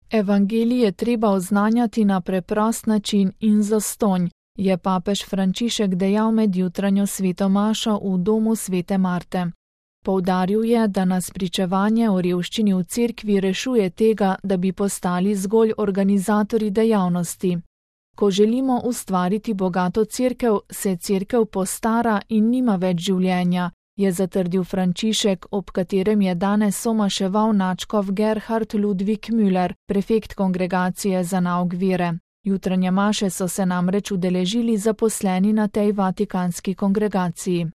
Evangelij je treba oznanjati na preprost način in zastonj, je papež Frančišek dejal med jutranjo sveto mašo v domu svete Marte. Poudaril je, da nas pričevanje o revščini v cerkvi rešuje tega, da bi postali zgolj organizatorji dejavnosti. Ko želimo ustvariti bogato cerkev, se cerkev postara in nima več življenja, je zatrdil Frančišek, ob katerem je danes somaševal nadškof Gerhard Ludwig Müller, prefekt kongregacije za nauk vere. Jutranje maše so se namreč udeležili zaposleni na tej vatikanski kongregaciji.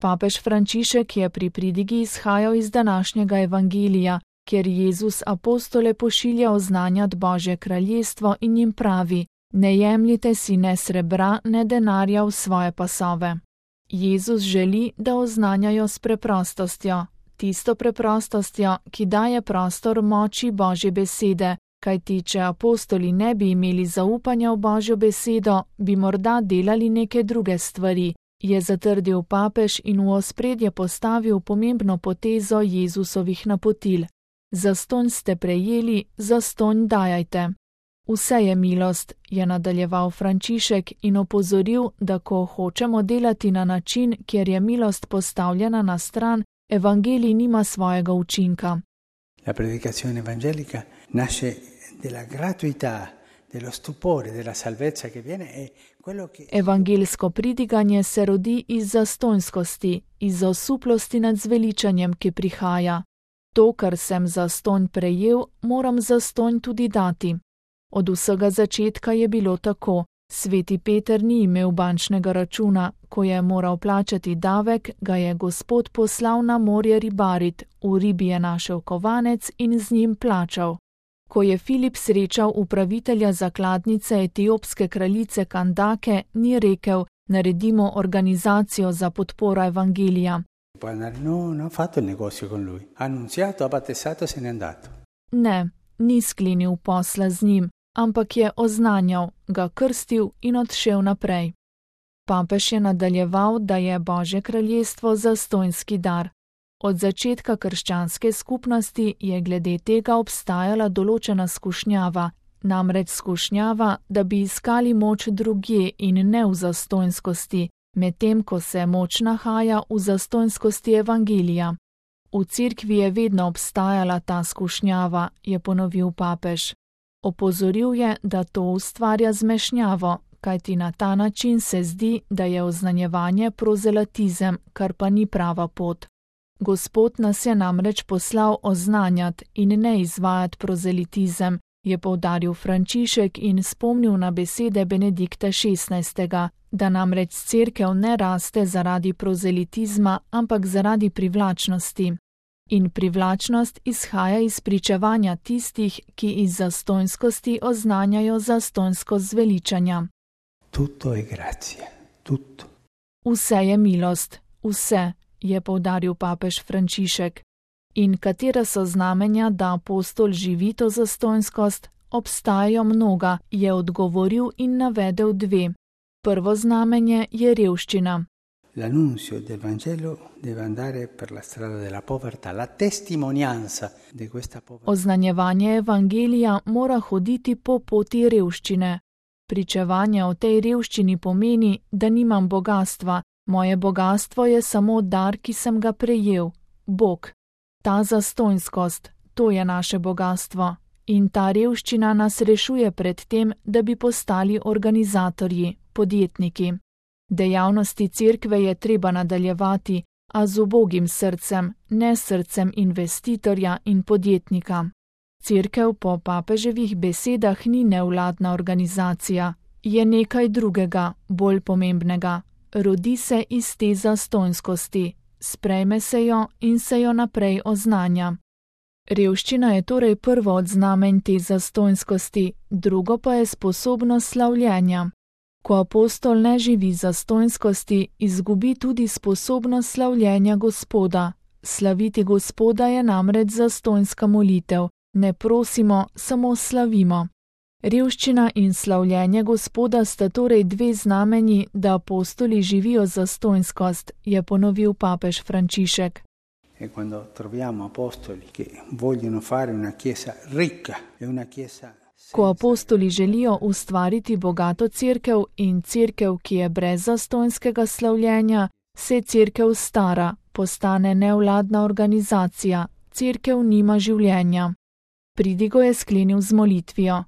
Papež Frančišek je pri pridigi izhajal iz današnjega evangelija, kjer Jezus apostole pošilja oznanjati Božje kraljestvo in jim pravi: ne jemljite si ne srebra, ne denarja v svoje pasove. Jezus želi, da oznanjajo s preprostostjo, tisto preprostostjo, ki daje prostor moči Božje besede, kajti če apostoli ne bi imeli zaupanja v Božjo besedo, bi morda delali neke druge stvari, je zatrdil papež in v ospredje postavil pomembno potezo Jezusovih napotil. Zastonj ste prejeli, zastonj dajajte. Vse je milost, je nadaljeval Frančišek in opozoril, da ko hočemo delati na način, kjer je milost postavljena na stran, evangelij nima svojega učinka. La predicazione evangelica nasce della gratuità, dello stupore, della salvezza che viene è quello che... Evangelsko pridiganje se rodi iz zastonjskosti, iz osuplosti nad zveličanjem, ki prihaja. To, kar sem zastonj prejel, moram zastonj tudi dati. Od vsega začetka je bilo tako. Sveti Peter ni imel bančnega računa, ko je moral plačati davek, ga je Gospod poslal na morje ribarit, v ribi je našel kovanec in z njim plačal. Ko je Filip srečal upravitelja zakladnice etiopske kraljice Kandake, ni rekel: naredimo organizacijo za podporo evangelija. Ne, ni sklenil posla z njim, ampak je oznanjal, ga krstil in odšel naprej. Papež je nadaljeval, da je Božje kraljestvo zastonjski dar. Od začetka krščanske skupnosti je glede tega obstajala določena skušnjava, namreč skušnjava, da bi iskali moč drugje in ne v zastonjskosti, medtem ko se moč nahaja v zastonjskosti evangelija. V cerkvi je vedno obstajala ta skušnjava, je ponovil papež. Opozoril je, da to ustvarja zmešnjavo, kajti na ta način se zdi, da je oznanjevanje prozelitizem, kar pa ni prava pot. Gospod nas je namreč poslal oznanjati in ne izvajati prozelitizem, je poudaril Frančišek in spomnil na besede Benedikta XVI., da namreč cerkev ne raste zaradi prozelitizma, ampak zaradi privlačnosti. In privlačnost izhaja iz pričevanja tistih, ki iz zastonjskosti oznanjajo zastonjskost zveličanja. Tutto è grazia, tutto. Vse je milost, vse, je poudaril papež Frančišek. In katera so znamenja, da apostol živi to zastonjskost? Obstajajo mnoga, je odgovoril in navedel dve. Prvo znamenje je revščina. L'annunzio del Vangelo deve andare per la strada della povertà, la testimonianza di questa povertà. Oznanjevanje evangelija mora hoditi po poti revščine. Pričevanje o tej revščini pomeni, da nimam bogastva, moje bogastvo je samo dar, ki sem ga prejel, Bog. Ta zastonjskost, to je naše bogastvo. In ta revščina nas rešuje pred tem, da bi postali organizatorji, podjetniki. Dejavnosti cerkve je treba nadaljevati, a z ubogim srcem, ne srcem investitorja in podjetnika. Cerkev po papeževih besedah ni nevladna organizacija, je nekaj drugega, bolj pomembnega. Rodi se iz te zastonjskosti, sprejme se jo in se jo naprej oznanja. Revščina je torej prvo od znamenj te zastonjskosti, drugo pa je sposobnost slavljenja. Ko apostol ne živi zastonjskosti, izgubi tudi sposobnost slavljenja Gospoda. Slaviti Gospoda je namreč zastonjska molitev. Ne prosimo, samo slavimo. Revščina in slavljenje Gospoda sta torej dve znamenji, da apostoli živijo zastonjskost, je ponovil papež Frančišek. E quando troviamo apostoli che vogliono fare una chiesa ricca e una chiesa Ko apostoli želijo ustvariti bogato cerkev in cerkev, ki je brez zastonjskega slavljenja, se cerkev stara, postane nevladna organizacija, cerkev nima življenja. Pridigo je sklenil z molitvijo.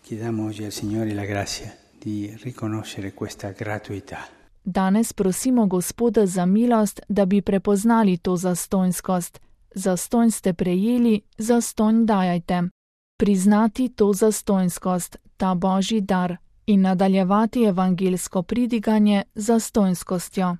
Chiediamo oggi al Signore la grazia di riconoscere questa gratuità. Danes prosimo Gospoda za milost, da bi prepoznali to zastonjskost. Zastonj ste prejeli, zastonj dajajte. Priznati to zastonjskost, ta Božji dar, in nadaljevati evangelsko pridiganje zastonjskostjo.